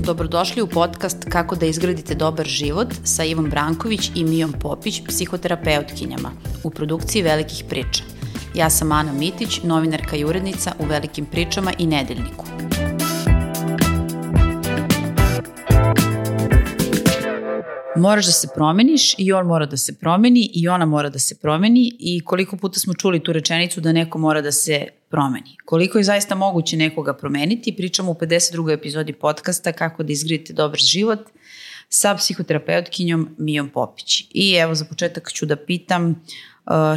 Dobrodošli u podcast Kako da izgradite dobar život sa Ivom Branković i Mijom Popić, psihoterapeutkinjama, u produkciji Velikih priča. Ja sam Ana Mitić, novinarka i urednica u Velikim pričama i Nedeljniku. Moraš da se promeniš i on mora da se promeni i ona mora da se promeni i koliko puta smo čuli tu rečenicu da neko mora da se promeni. Koliko je zaista moguće nekoga promeniti, pričamo u 52. epizodi podcasta Kako da izgradite dobar život sa psihoterapeutkinjom Mijom Popić. I evo za početak ću da pitam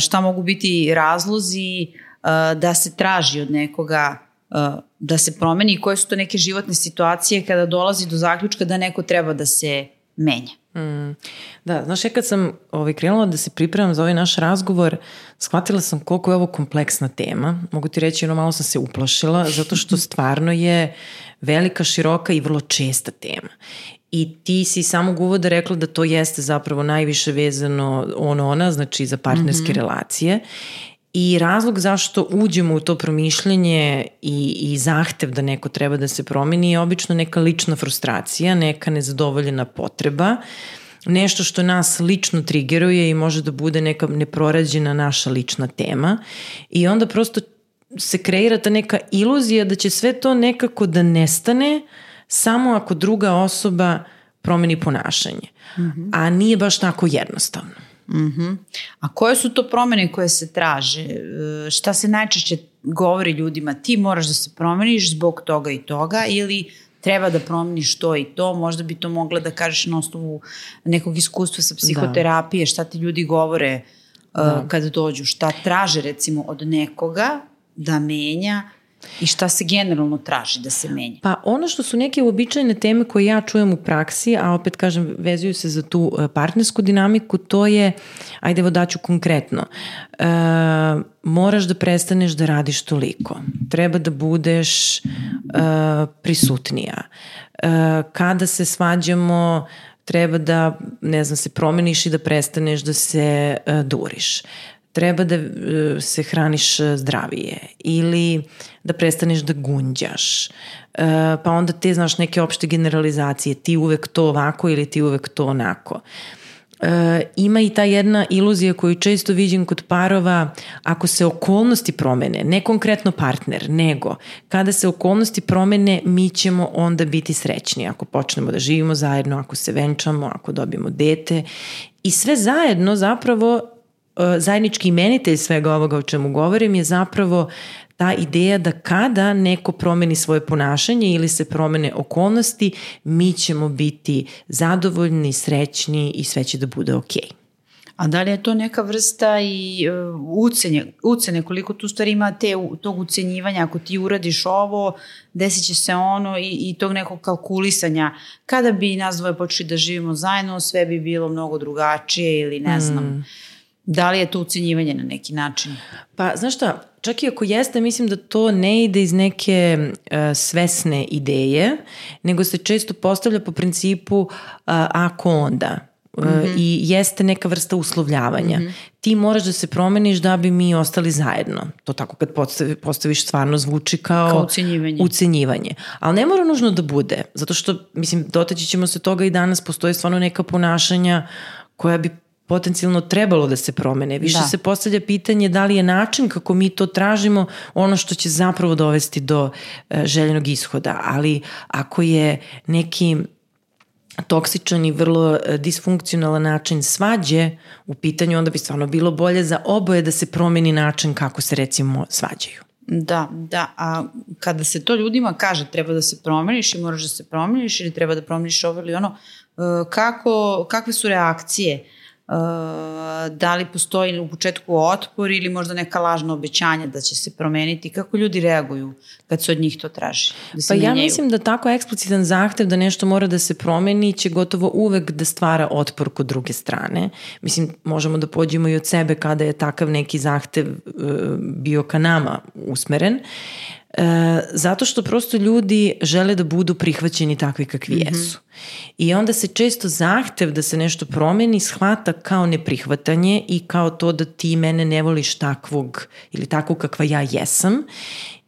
šta mogu biti razlozi da se traži od nekoga da se promeni i koje su to neke životne situacije kada dolazi do zaključka da neko treba da se menja. Da, znaš, kad sam krenula da se pripremam za ovaj naš razgovor, shvatila sam koliko je ovo kompleksna tema. Mogu ti reći, malo sam se uplašila, zato što stvarno je velika, široka i vrlo česta tema. I ti si samog uvoda rekla da to jeste zapravo najviše vezano ona, znači za partnerske relacije. I razlog zašto uđemo u to promišljanje i zahtev da neko treba da se promeni je obično neka lična frustracija, neka nezadovoljena potreba, nešto što nas lično trigeruje i može da bude neka neprorađena naša lična tema. I onda prosto se kreira ta neka iluzija da će sve to nekako da nestane samo ako druga osoba promeni ponašanje. A nije baš tako jednostavno. A koje su to promene koje se traže? Šta se najčešće govori ljudima? Ti moraš da se promeniš zbog toga i toga ili treba da promeniš to i to? Možda bi to mogla da kažeš na osnovu nekog iskustva sa psihoterapije. Šta ti ljudi govore kada dođu? Šta traže recimo od nekoga da menja? I šta se generalno traži da se menja? Pa ono što su neke uobičajene teme koje ja čujem u praksi, a opet kažem vezuju se za tu partnersku dinamiku, to je, ajde evo daću konkretno, moraš da prestaneš da radiš toliko, treba da budeš prisutnija, kada se svađamo treba da, se promeniš i da prestaneš da se duriš. Treba da se hraniš zdravije ili da prestaneš da gunđaš. Pa onda te, znaš, neke opšte generalizacije, ti uvek to ovako ili ti uvek to onako. Ima i ta jedna iluzija koju često vidim kod parova, ako se okolnosti promene, ne konkretno partner, nego kada se okolnosti promene, mi ćemo onda biti srećni ako počnemo da živimo zajedno, ako se venčamo, ako dobijemo dete. I sve zajedno zapravo zajednički imenitelj svega ovoga o čemu govorim je zapravo ta ideja da kada neko promeni svoje ponašanje ili se promene okolnosti, mi ćemo biti zadovoljni, srećni i sve će da bude okej. A da li je to neka vrsta i ucene, koliko tu stvari ima tog ucenjivanja, ako ti uradiš ovo, desit će se ono i tog nekog kalkulisanja. Kada bi nas dvoje počeli da živimo zajedno, sve bi bilo mnogo drugačije ili ne znam. Da li je to ucenjivanje na neki način? Pa, znaš šta, čak i ako jeste, mislim da to ne ide iz neke svesne ideje, nego se često postavlja po principu ako onda. I jeste neka vrsta uslovljavanja. Ti moraš da se promeniš da bi mi ostali zajedno. To tako kad postaviš stvarno zvuči kao ucenjivanje. Ali ne mora nužno da bude, zato što, dotaći ćemo se toga i danas, postoje stvarno neka ponašanja koja bi potencijalno trebalo da se promene. Više se postavlja pitanje da li je način kako mi to tražimo ono što će zapravo dovesti do željenog ishoda. Ali ako je neki toksičan i vrlo disfunkcionalan način svađe u pitanju, onda bi stvarno bilo bolje za oboje da se promeni način kako se recimo svađaju. Da, a kada se to ljudima kaže treba da se promeniš i moraš da se promeniš ili treba da promeniš ovo ili ono, kakve su reakcije? Da li postoji u početku otpor ili možda neka lažna obećanja da će se promeniti? Kako ljudi reaguju kad se od njih to traži? Pa ja mislim da tako eksplicitan zahtev da nešto mora da se promeni će gotovo uvek da stvara otpor kod druge strane. Možemo da pođemo i od sebe kada je takav neki zahtev bio ka nama usmeren. Zato što prosto ljudi žele da budu prihvaćeni takvi kakvi jesu. I onda se često zahtev da se nešto promeni shvata kao neprihvatanje i kao to da ti mene ne voliš takvog ili takvog kakva ja jesam.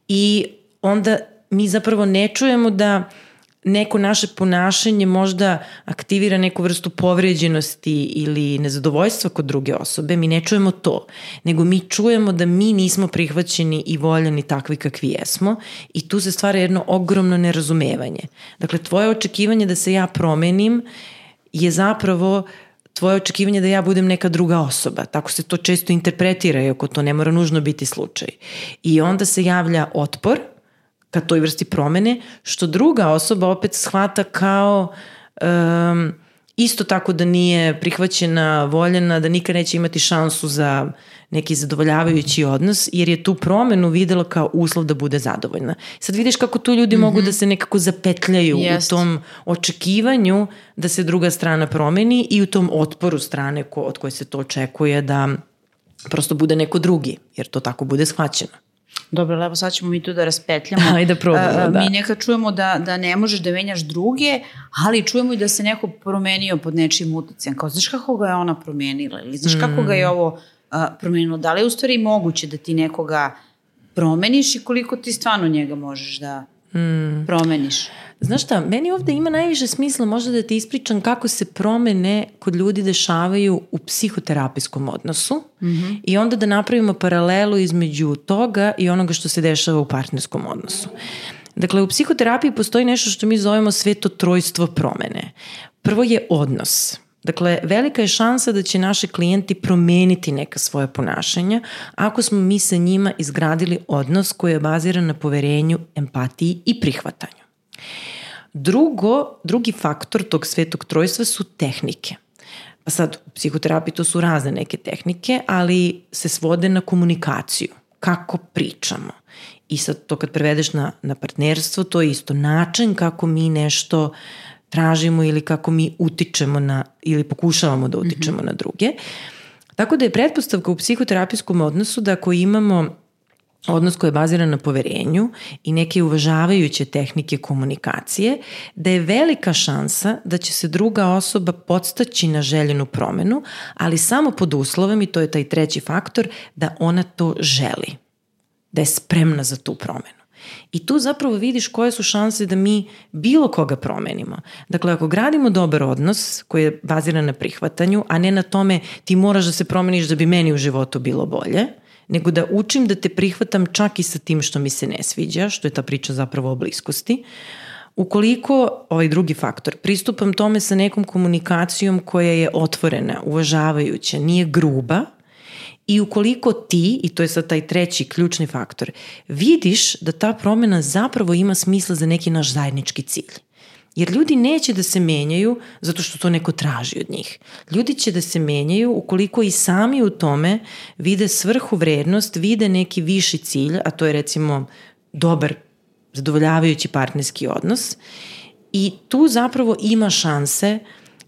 I onda mi zapravo ne čujemo da neko naše ponašanje možda aktivira neku vrstu povređenosti ili nezadovoljstva kod druge osobe, mi ne čujemo to, nego mi čujemo da mi nismo prihvaćeni i voljeni takvi kakvi jesmo i tu se stvara jedno ogromno nerazumevanje. Dakle, tvoje očekivanje da se ja promenim je zapravo tvoje očekivanje da ja budem neka druga osoba. Tako se to često interpretira, iako to ne mora nužno biti slučaj. I onda se javlja otpor ka toj vrsti promene, što druga osoba opet shvata kao isto tako da nije prihvaćena, voljena, da nikad neće imati šansu za neki zadovoljavajući odnos, jer je tu promenu videla kao uslov da bude zadovoljna. Sad vidiš kako tu ljudi mogu da se nekako zapetljaju u tom očekivanju da se druga strana promeni i u tom otporu strane od koje se to očekuje da prosto bude neko drugi, jer to tako bude shvaćeno. Dobro, evo sad ćemo mi tu da raspetljamo. Ajde probamo, da. Mi nekad čujemo da ne možeš da menjaš druge, ali čujemo i da se neko promenio pod nečim uticajem. Kao, znaš kako ga je ona promenila? Ili znaš kako ga je ovo promenilo? Da li je u stvari moguće da ti nekoga promeniš i koliko ti stvarno njega možeš da promeniš? Znaš šta, meni ovde ima najviše smisla možda da ti ispričam kako se promene kod ljudi dešavaju u psihoterapijskom odnosu i onda da napravimo paralelu između toga i onoga što se dešava u partnerskom odnosu. Dakle, u psihoterapiji postoji nešto što mi zovemo sveto trojstvo promene. Prvo je odnos. Dakle, velika je šansa da će naši klijenti promeniti neka svoja ponašanja ako smo mi sa njima izgradili odnos koji je baziran na poverenju, empatiji i prihvatanju. Drugi faktor tog svetog trojstva su tehnike. Pa sad, u psihoterapiji to su razne neke tehnike, ali se svode na komunikaciju. Kako pričamo. I sad to kad prevedeš na partnerstvo, to je isto način kako mi nešto tražimo ili kako mi utičemo ili pokušavamo da utičemo na druge. Tako da je pretpostavka u psihoterapijskom odnosu da ako imamo odnos koji je baziran na poverenju i neke uvažavajuće tehnike komunikacije, da je velika šansa da će se druga osoba podstaći na željenu promenu, ali samo pod uslovom, i to je taj treći faktor, da ona to želi, da je spremna za tu promenu. I tu zapravo vidiš koje su šanse da mi bilo koga promenimo. Dakle, ako gradimo dobar odnos koji je baziran na prihvatanju, a ne na tome ti moraš da se promeniš da bi meni u životu bilo bolje, nego da učim da te prihvatam čak i sa tim što mi se ne sviđa, što je ta priča zapravo o bliskosti. Ukoliko, ovaj drugi faktor, pristupam tome sa nekom komunikacijom koja je otvorena, uvažavajuća, nije gruba, i ukoliko ti, i to je sad taj treći ključni faktor, vidiš da ta promena zapravo ima smisla za neki naš zajednički cilj. Jer ljudi neće da se menjaju zato što to neko traži od njih. Ljudi će da se menjaju ukoliko i sami u tome vide svrhu, vrednost, vide neki viši cilj, a to je recimo dobar, zadovoljavajući partnerski odnos. I tu zapravo ima šanse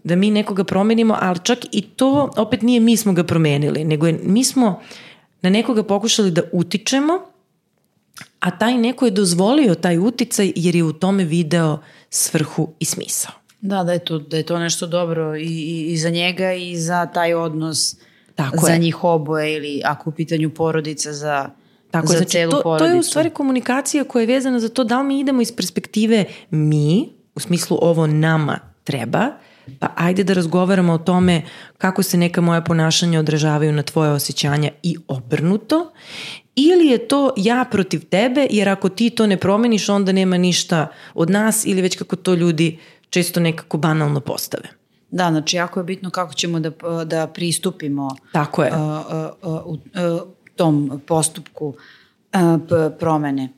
da mi nekoga promenimo, ali čak i to opet nije mi smo ga promenili, nego mi smo na nekoga pokušali da utičemo, a taj neko je dozvolio taj uticaj jer je u tome video svrhu i smisao. Da je to nešto dobro i za njega i za taj odnos, tako za je. njih oboje, ili ako u pitanju porodica za celu porodicu. To je u stvari komunikacija koja je vezana za to da li mi idemo iz perspektive mi, u smislu ovo nama treba, pa ajde da razgovaramo o tome kako se neka moja ponašanja odražavaju na tvoje osjećanja i obrnuto, ili je to ja protiv tebe, jer ako ti to ne promeniš, onda nema ništa od nas, ili već kako to ljudi često nekako banalno postave. Da, znači jako je bitno kako ćemo da pristupimo tako je. U tom postupku promene.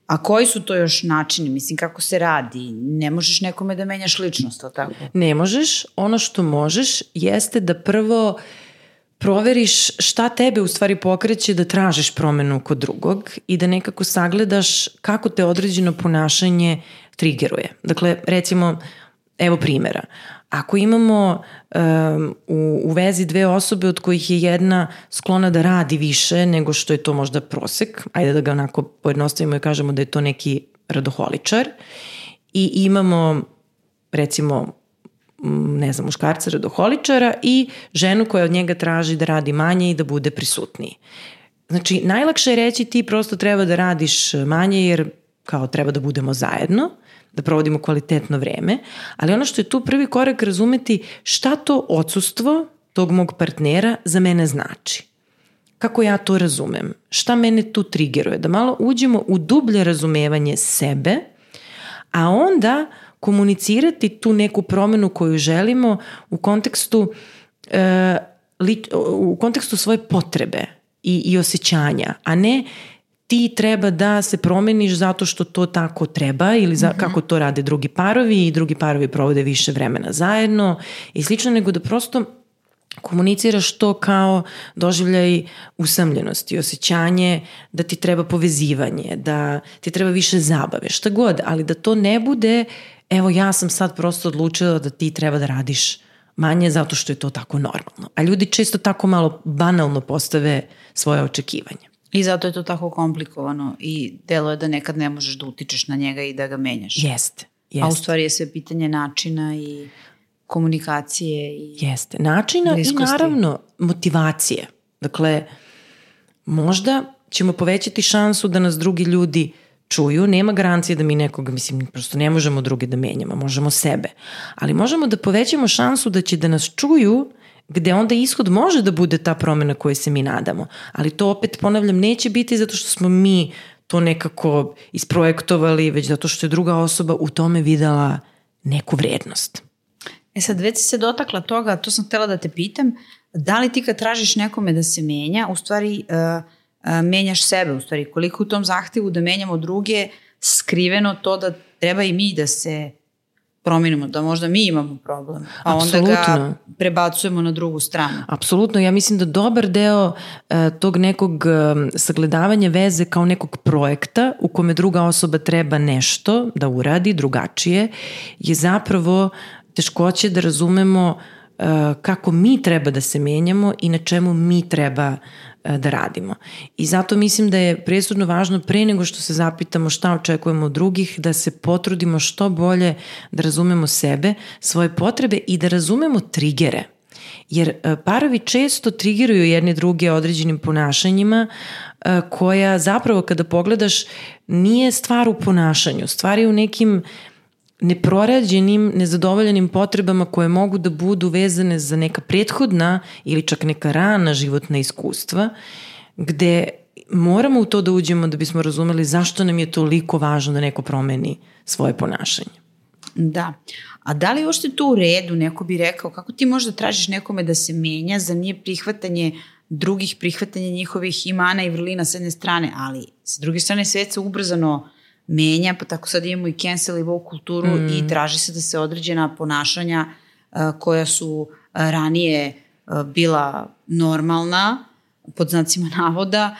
A koji su to još načini? Mislim, kako se radi? Ne možeš nekome da menjaš ličnost, ali tako? Ne možeš. Ono što možeš jeste da prvo proveriš šta tebe u stvari pokreće da tražiš promenu kod drugog i da nekako sagledaš kako te određeno ponašanje trigeruje. Dakle, recimo, evo primjera. Ako imamo u vezi dve osobe od kojih je jedna sklona da radi više nego što je to možda prosek, ajde da ga onako pojednostavimo i kažemo da je to neki radoholičar, i imamo recimo muškarca radoholičara i ženu koja od njega traži da radi manje i da bude prisutniji. Znači, najlakše je reći ti prosto treba da radiš manje jer kao treba da budemo zajedno, da provodimo kvalitetno vreme, ali ono što je tu prvi korak razumeti šta to odsustvo tog mog partnera za mene znači. Kako ja to razumem? Šta mene tu trigeruje? Da malo uđemo u dublje razumevanje sebe, a onda komunicirati tu neku promenu koju želimo u kontekstu svoje potrebe i osjećanja, a ne ti treba da se promeniš zato što to tako treba ili kako to rade drugi parovi i drugi parovi provode više vremena zajedno i slično, nego da prosto komuniciraš to kao doživljaj usamljenosti, osjećanje da ti treba povezivanje, da ti treba više zabave, šta god, ali da to ne bude evo ja sam sad prosto odlučila da ti treba da radiš manje zato što je to tako normalno. A ljudi često tako malo banalno postave svoje očekivanja. I zato je to tako komplikovano i delo je da nekad ne možeš da utičeš na njega i da ga menjaš. Jeste. A u stvari je sve pitanje načina i komunikacije i jeste. Načina bliskosti. I naravno motivacije. Dakle, možda ćemo povećati šansu da nas drugi ljudi čuju, nema garancije da mi nekoga, prosto ne možemo druge da menjamo, možemo sebe. Ali možemo da povećamo šansu da će da nas čuju, gde onda ishod može da bude ta promena koju se mi nadamo. Ali to opet, ponavljam, neće biti zato što smo mi to nekako isprojektovali, već zato što je druga osoba u tome videla neku vrednost. Sad već si se dotakla toga, to sam htjela da te pitam, da li ti kad tražiš nekome da se menja, u stvari menjaš sebe, u stvari koliko u tom zahtevu da menjamo druge, skriveno to da treba i mi da se promenimo, da možda mi imamo problem, a onda ga prebacujemo na drugu stranu. Apsolutno, ja mislim da dobar deo tog nekog sagledavanja veze kao nekog projekta u kome druga osoba treba nešto da uradi drugačije je zapravo teškoće da razumemo kako mi treba da se menjamo i na čemu mi treba da radimo. I zato mislim da je presudno važno pre nego što se zapitamo šta očekujemo od drugih, da se potrudimo što bolje da razumemo sebe, svoje potrebe i da razumemo trigere. Jer parovi često trigeruju jedni druge određenim ponašanjima koja zapravo kada pogledaš nije stvar u ponašanju, stvar je u nekim neprorađenim, nezadovoljenim potrebama koje mogu da budu vezane za neka prethodna ili čak neka rana životna iskustva, gde moramo u to da uđemo da bismo razumeli zašto nam je toliko važno da neko promeni svoje ponašanje. Da. A da li uopšte tu u redu, neko bi rekao, kako ti možda tražiš nekome da se menja za nije prihvatanje drugih, prihvatanje njihovih imana i vrlina s jedne strane, ali s druge strane svet se ubrzano menja, pa tako sad imamo i cancel i woke kulturu i traži se da se određena ponašanja koja su ranije bila normalna, pod znacima navoda,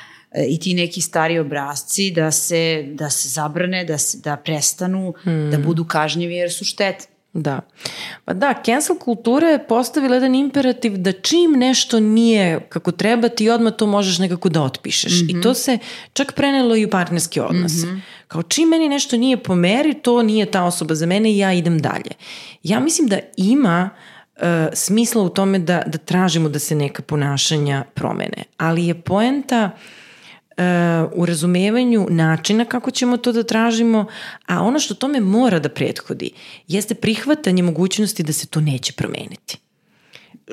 i ti neki stari obrasci da se zabrane, da prestanu, da budu kažnjivi jer su štetni. Da. Pa da, cancel kultura je postavila jedan imperativ da čim nešto nije kako treba ti odmah to možeš nekako da otpišeš. I to se čak prenelo i u partnerske odnose. Kao čim meni nešto nije po meri, to nije ta osoba za mene i ja idem dalje. Ja mislim da ima smisla u tome da tražimo da se neka ponašanja promene. Ali je poenta u razumevanju načina kako ćemo to da tražimo, a ono što tome mora da prethodi jeste prihvatanje mogućnosti da se to neće promeniti.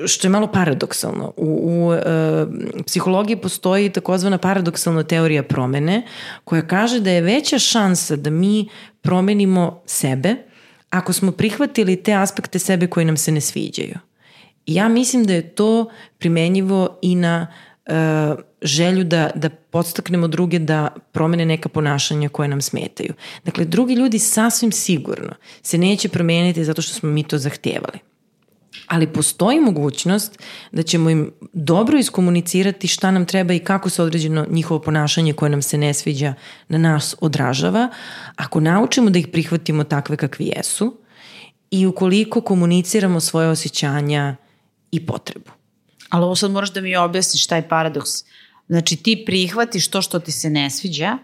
Što je malo paradoksalno. U psihologiji postoji takozvana paradoksalna teorija promene koja kaže da je veća šansa da mi promenimo sebe ako smo prihvatili te aspekte sebe koji nam se ne sviđaju. I ja mislim da je to primenjivo i na želju da podstaknemo druge da promene neka ponašanja koje nam smetaju. Dakle, drugi ljudi sasvim sigurno se neće promeniti zato što smo mi to zahtevali. Ali postoji mogućnost da ćemo im dobro iskomunicirati šta nam treba i kako se određeno njihovo ponašanje koje nam se ne sviđa na nas odražava, ako naučimo da ih prihvatimo takve kakvi jesu i ukoliko komuniciramo svoje osjećanja i potrebu. Ali ovo sad moraš da mi objasniš taj paradoks. Znači ti prihvatiš to što ti se ne sviđa,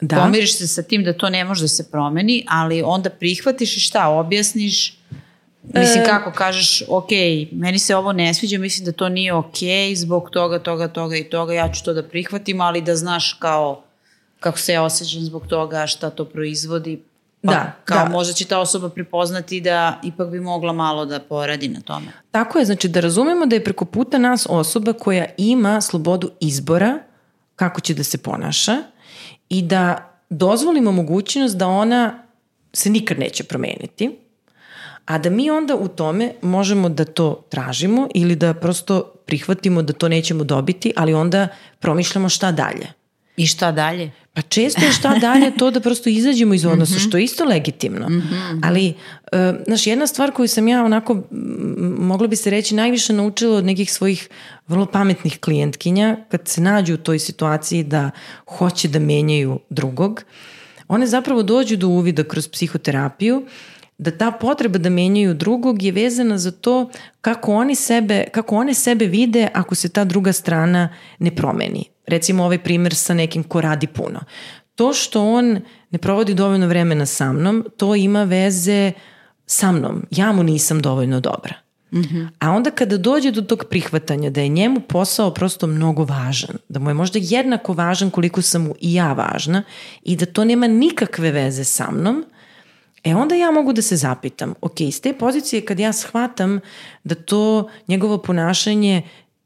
pomiriš se sa tim da to ne može da se promeni, ali onda prihvatiš i šta, objasniš, mislim kako kažeš, ok, meni se ovo ne sviđa, mislim da to nije ok, zbog toga i toga, ja ću to da prihvatim, ali da znaš kao kako se ja osjećam zbog toga, šta to proizvodi, pa možda će ta osoba prepoznati da ipak bi mogla malo da poradi na tome. Tako je, znači da razumemo da je preko puta nas osoba koja ima slobodu izbora kako će da se ponaša i da dozvolimo mogućnost da ona se nikad neće promeniti, a da mi onda u tome možemo da to tražimo ili da prosto prihvatimo da to nećemo dobiti, ali onda promišljamo šta dalje. I šta dalje? Pa često je šta dalje to da prosto izađemo iz odnosa, što je isto legitimno. Ali, znaš, jedna stvar koju sam ja onako, mogla bi se reći, najviše naučila od nekih svojih vrlo pametnih klijentkinja, kad se nađu u toj situaciji da hoće da menjaju drugog, one zapravo dođu do uvida kroz psihoterapiju, da ta potreba da menjaju drugog je vezana za to kako one sebe vide ako se ta druga strana ne promeni. Recimo ovaj primjer sa nekim ko radi puno. To što on ne provodi dovoljno vremena sa mnom, to ima veze sa mnom. Ja mu nisam dovoljno dobra. A onda kada dođe do tog prihvatanja da je njemu posao prosto mnogo važan, da mu je možda jednako važan koliko sam mu i ja važna i da to nema nikakve veze sa mnom, onda ja mogu da se zapitam, ok, iz te pozicije kad ja shvatam da to njegovo ponašanje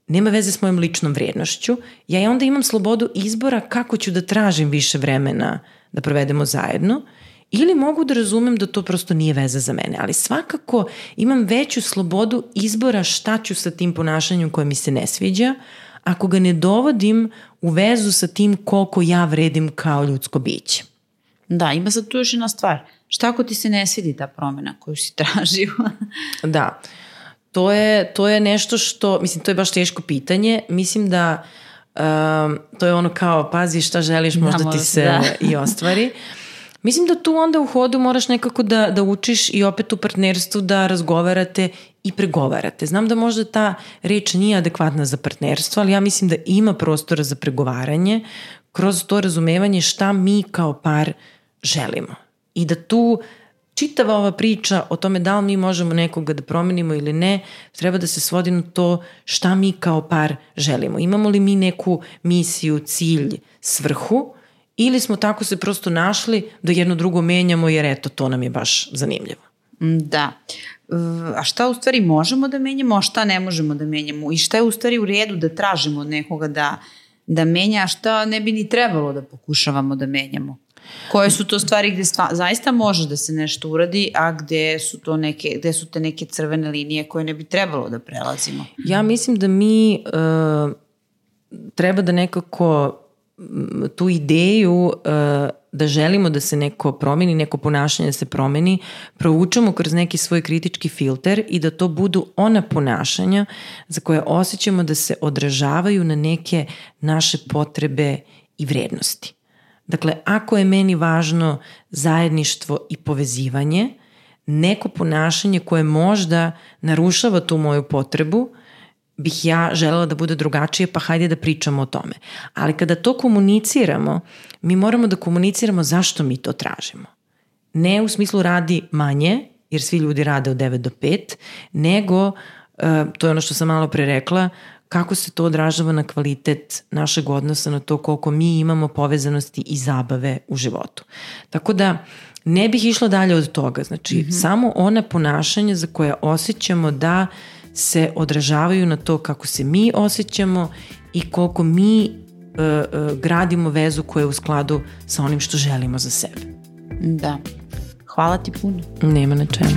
nema veze s mojom ličnom vrijednošću, ja onda imam slobodu izbora kako ću da tražim više vremena da provedemo zajedno, ili mogu da razumem da to prosto nije veza za mene, ali svakako imam veću slobodu izbora šta ću sa tim ponašanjem koje mi se ne sviđa, ako ga ne dovodim u vezu sa tim koliko ja vredim kao ljudsko biće. Da, ima sad tu još jedna stvar. Šta ako ti se ne svidi ta promjena koju si tražio? Da, to je nešto što, mislim, to je baš teško pitanje. Mislim da to je ono kao, pazi šta želiš, možda ti se i ostvari. Mislim da tu onda u hodu moraš nekako da učiš i opet u partnerstvu da razgovarate i pregovarate. Znam da možda ta reč nije adekvatna za partnerstvo, ali ja mislim da ima prostora za pregovaranje kroz to razumevanje šta mi kao par želimo. I da tu čitava ova priča o tome da li mi možemo nekoga da promenimo ili ne, treba da se svodi na to šta mi kao par želimo. Imamo li mi neku misiju, cilj, svrhu, ili smo tako se prosto našli da jedno drugo menjamo jer eto, to nam je baš zanimljivo. Da. A šta u stvari možemo da menjamo, a šta ne možemo da menjamo? I šta je u stvari u redu da tražimo od nekoga da menja, a šta ne bi ni trebalo da pokušavamo da menjamo? Koje su to stvari gde zaista može da se nešto uradi, a gde su te neke crvene linije koje ne bi trebalo da prelazimo? Ja mislim da mi treba da nekako tu ideju da želimo da se neko promeni, neko ponašanje da se promeni, proučamo kroz neki svoj kritički filter i da to budu ona ponašanja za koje osjećamo da se odražavaju na neke naše potrebe i vrednosti. Dakle, ako je meni važno zajedništvo i povezivanje, neko ponašanje koje možda narušava tu moju potrebu, bih ja želela da bude drugačije, pa hajde da pričamo o tome. Ali kada to komuniciramo, mi moramo da komuniciramo zašto mi to tražimo. Ne u smislu radi manje, jer svi ljudi rade od 9 do 5, nego, to je ono što sam malo pre rekla, kako se to odražava na kvalitet našeg odnosa, na to koliko mi imamo povezanosti i zabave u životu. Tako da ne bih išla dalje od toga. Znači, samo ona ponašanja za koje osjećamo da se odražavaju na to kako se mi osjećamo i koliko mi gradimo vezu koja je u skladu sa onim što želimo za sebe. Da. Hvala ti puno. Nema na čemu.